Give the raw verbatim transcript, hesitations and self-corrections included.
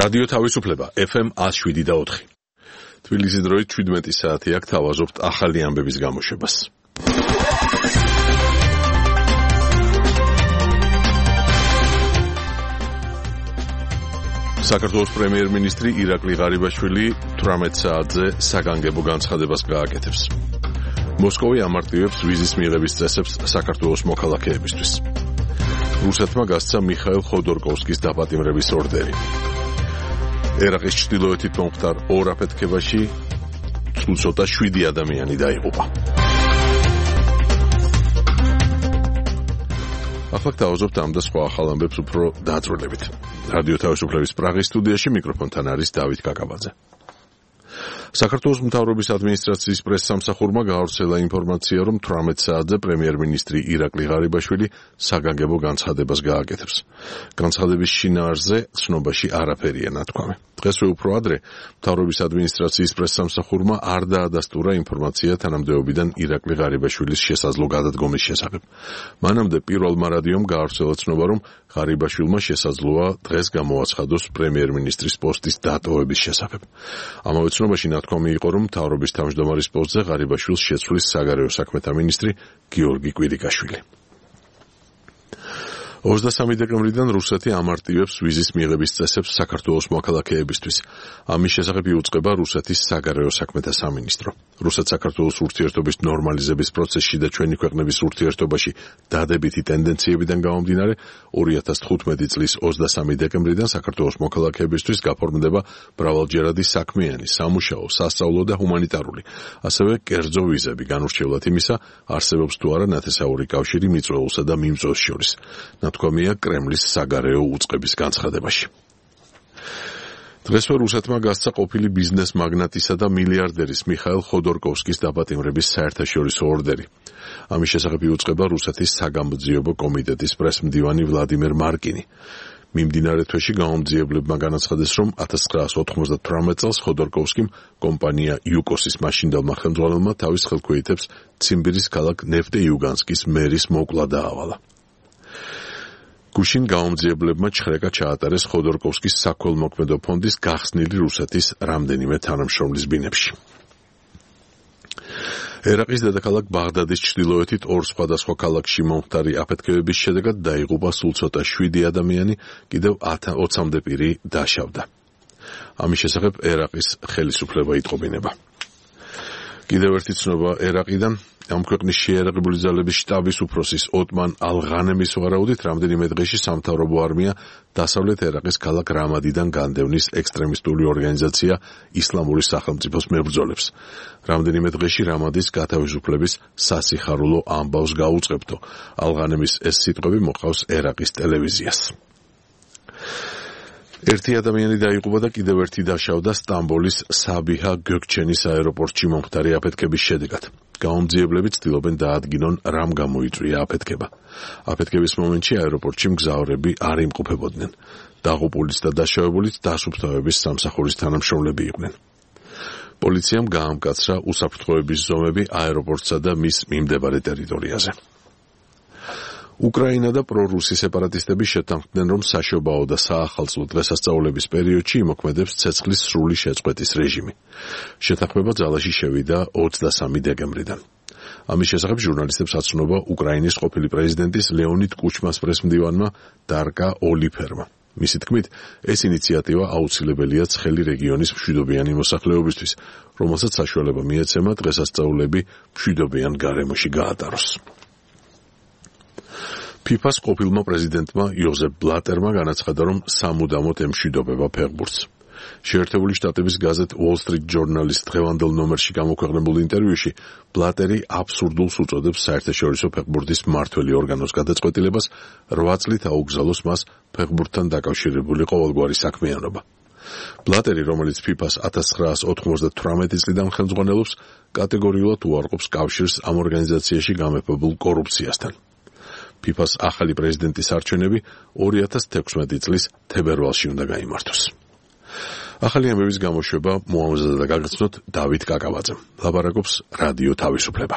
რადიო თავისუფლება ეფ ემ one oh seven და four. თბილისის დროით შვიდმეტი საათი აქ თავაზობთ ახალი ამბების გამოშვებას. საქართველოს პრემიერ-მინისტრი ირაკლი ღარიბაშვილი თვრამეტ საათზე საგანგებო განცხადებას გააკეთებს. მოსკოვი ამარტივებს ვიზის მიღების წესებს საქართველოს მოქალაქეებისთვის. რუსეთმა გასცა მიხაილ ხოდორკოვსკის დაპატიმრების ორდერი. ერაყის ჩრდილოეთით მომხდარ ორ აფეთქებაში ცუცოტა შვიდი ადამიანი დაიღუპა. ახლა დავაზობთ ამ და სხვა ახალ ამბებს უფრო დაწვრილებით. რადიო თავისუფლების პრაღის სტუდიაში მიკროფონთან არის დავით კაკაბაძე. საქართველოს მთავრობის ადმინისტრაციის პრესსამსახურმა გაავრცელა ინფორმაცია, რომ თვრამეტ საათზე პრემიერ-მინისტრი ირაკლი ღარიბაშვილი საგანგებო განცხადებას გააკეთებს. განცხადების შინაარსზე ცნობაში არაფერია ნათქვამი. დღესვე უფრო ადრე მთავრობის ადმინისტრაციის პრესსამსახურმა არ დაადასტურა ინფორმაცია თანამდებობიდან ირაკლი ღარიბაშვილის შესაძლო გადადგომის შესახებ. მანამდე პირველმა რადიომ გაავრცელა ცნობა, რომ ღარიბაშვილმა შესაძლოა დღეს გამოაცხადოს პრემიერ-მინისტრის პოსტის დატოვების შესახებ. ამავე ცნობაში ნათქვამი იყო, რომ მთავრობის თავმჯდომარის პოსტზე ღარიბაშვილს შეცვლის საგარეო საქმეთა მინისტრი გიორგი კვირიკაშვილი. ოცდასამი დეკემბრიდან რუსეთი ამარტივებს ვიზის მიღების წესებს საქართველოს მოქალაქეებისთვის. ამის შესახებ იუწყება რუსეთის საგარეო საქმეთა სამინისტრო. რუსეთ-საქართველოს ურთიერთობის ნორმალიზების პროცესში და ჩვენი ქვეყნების ურთიერთობაში დადებითი ტენდენციებიდან გამომდინარე, ორი ათას თხუთმეტი წლის ოცდასამი დეკემბრიდან საქართველოს მოქალაქეებისთვის გაფორმდება მრავალჯერადი საქმიანი, სამუშაო, სასწავლო და ჰუმანიტარული, ასევე კერძო ვიზები, განურჩევლად იმისა, არსებობს თუ არა ნათესაური კავშირი მიწვეულსა და მიმწვევს შორის. ნათქვამია კრემლის საგარეო უწყების განცხადებაში. დღესვე რუსეთმა გასცა ყოფილი ბიზნეს მაგნატისა და მილიარდერის მიხაილ ხოდორკოვსკის დაპატიმრების საერთაშორისო ორდერი. ამის შესახებ იუწყება რუსეთის საგამოძიებო კომიტეტის პრესმდივანი ვლადიმერ მარკინი. მიმდინარე თვეში გამომძიებლებმა განაცხადეს, რომ ათას ცხრაას ოთხმოცდათვრამეტ წელს ხოდორკოვსკიმ კომპანია იუკოსის მაშინდელმა ხელმძღვანელმა თავის ხელქვეითებს ციმბირის ქალაქ ნეფტეიუგანსკის მერის მოკლა დაავალა. გუშინ გამომძიებლებმა ჩხრეკა ჩაატარეს ხოდორკოვსკის საქველმოქმედო ფონდის გახსნილი რუსეთის რამდენიმე თანამშრომლის ბინებში. ერაყის დედაქალაქ ბაღდადის ჩრდილოეთით ორ სხვადასხვა ქალაქში მომხდარი აფეთქებების შედეგად დაიღუპა სულ ცოტა შვიდი ადამიანი, კიდევ ოცამდე პირი დაშავდა. ამის შესახებ ერაყის ხელისუფლება იტყობინება. კიდევ ერთი ცნობა ერაყიდან. ამ ქვეყნის შეიარაღებული ძალების შტაბის უფროსის ოტმან ალ-ღანემის ვარაუდით რამდენიმე დღეში სამთავრობო არმია დასავლეთ ერაყის ქალაქ რამადიდან განდევნის ექსტრემისტული ორგანიზაცია ისლამური სახელმწიფოს მებრძოლებს. რამდენიმე დღეში რამადის გათავისუფლების სასიხარულო ამბავს გაუწყებთო. ალ-ღანემის ეს სიტყვები მოყავს ერაყის ტელევიზიას. ერთი ადამიანი დაიღუპა და კიდევ ერთი დაშავდა სტამბოლის საბიჰა გოგჩენის აეროპორტში მომხდარი აფეთქების შედეგად. გამომძიებლები ცდილობენ დაადგინონ, რამ გამოიწვია აფეთქება. აფეთქების მომენტში აეროპორტში მგზავრები არ იმყოფებოდნენ. დაღუპულიც და დაშავებულიც დასუფთავების სამსახურის თანამშრომლები იყვნენ. პოლიციამ გაამკაცრა უსაფრთხოების ზომები აეროპორტსა და მის მიმდებარე ტერიტორიაზე. უკრაინა და პრორუსი სეპარატისტები შეთანხმდნენ, რომ საშობაო და საახალწლო დღესასწაულების პერიოდში იმოქმედებს ცეცხლის სრული შეწყვეტის რეჟიმი. შეთანხმება ძალაში შევიდა ოცდასამი დეკემბრიდან. ამის შესახებ ჟურნალისტებს აცნობა უკრაინის ყოფილი პრეზიდენტის ლეონიდ კუჩმას პრესმდივანმა დარკა ოლიფერმა. მისი თქმით, ეს ინიციატივა აუცილებელია ცხელი რეგიონის მშვიდობიანი მოსახლეობისთვის, რომელსაც საშუალება მიეცემა დღესასწაულები მშვიდობიან გარემოში გაატაროს. ფიფას ყოფილმა პრეზიდენტმა იოზეფ ბლატერმა განაცხადა, რომ სამუდამოდ ემშვიდობება ფეხბურთს. შეერთებული შტატების გაზეთ Wall Street Journal-ის დღევანდელ ნომერში გამოქვეყნებულ ინტერვიუში ბლატერი აბსურდულს უწოდებს საერთაშორისო ფეხბურთის მმართველი ორგანოს გადაწყვეტილებას რვა წლით აუგზავნოს მას ფეხბურთთან დაკავშირებული ყოველგვარი საქმიანობა. ბლატერი, რომელიც ფიფას ათას ცხრაას ოთხმოცდათვრამეტი წლიდან ხელმძღვანელობს, კატეგორიულად უარყოფს კავშირს ამ ორგანიზაციაში გამეფებულ კორუფციასთან. ფიფას ახალი პრეზიდენტის არჩევნები ორი ათას თექვსმეტი წლის თებერვალში უნდა გაიმართოს. ახალი ამბების გამოშვება მოამზადა და გაგაცნოთ დავით კაკაბაძემ. ლაპარაკობს რადიო თავისუფლება.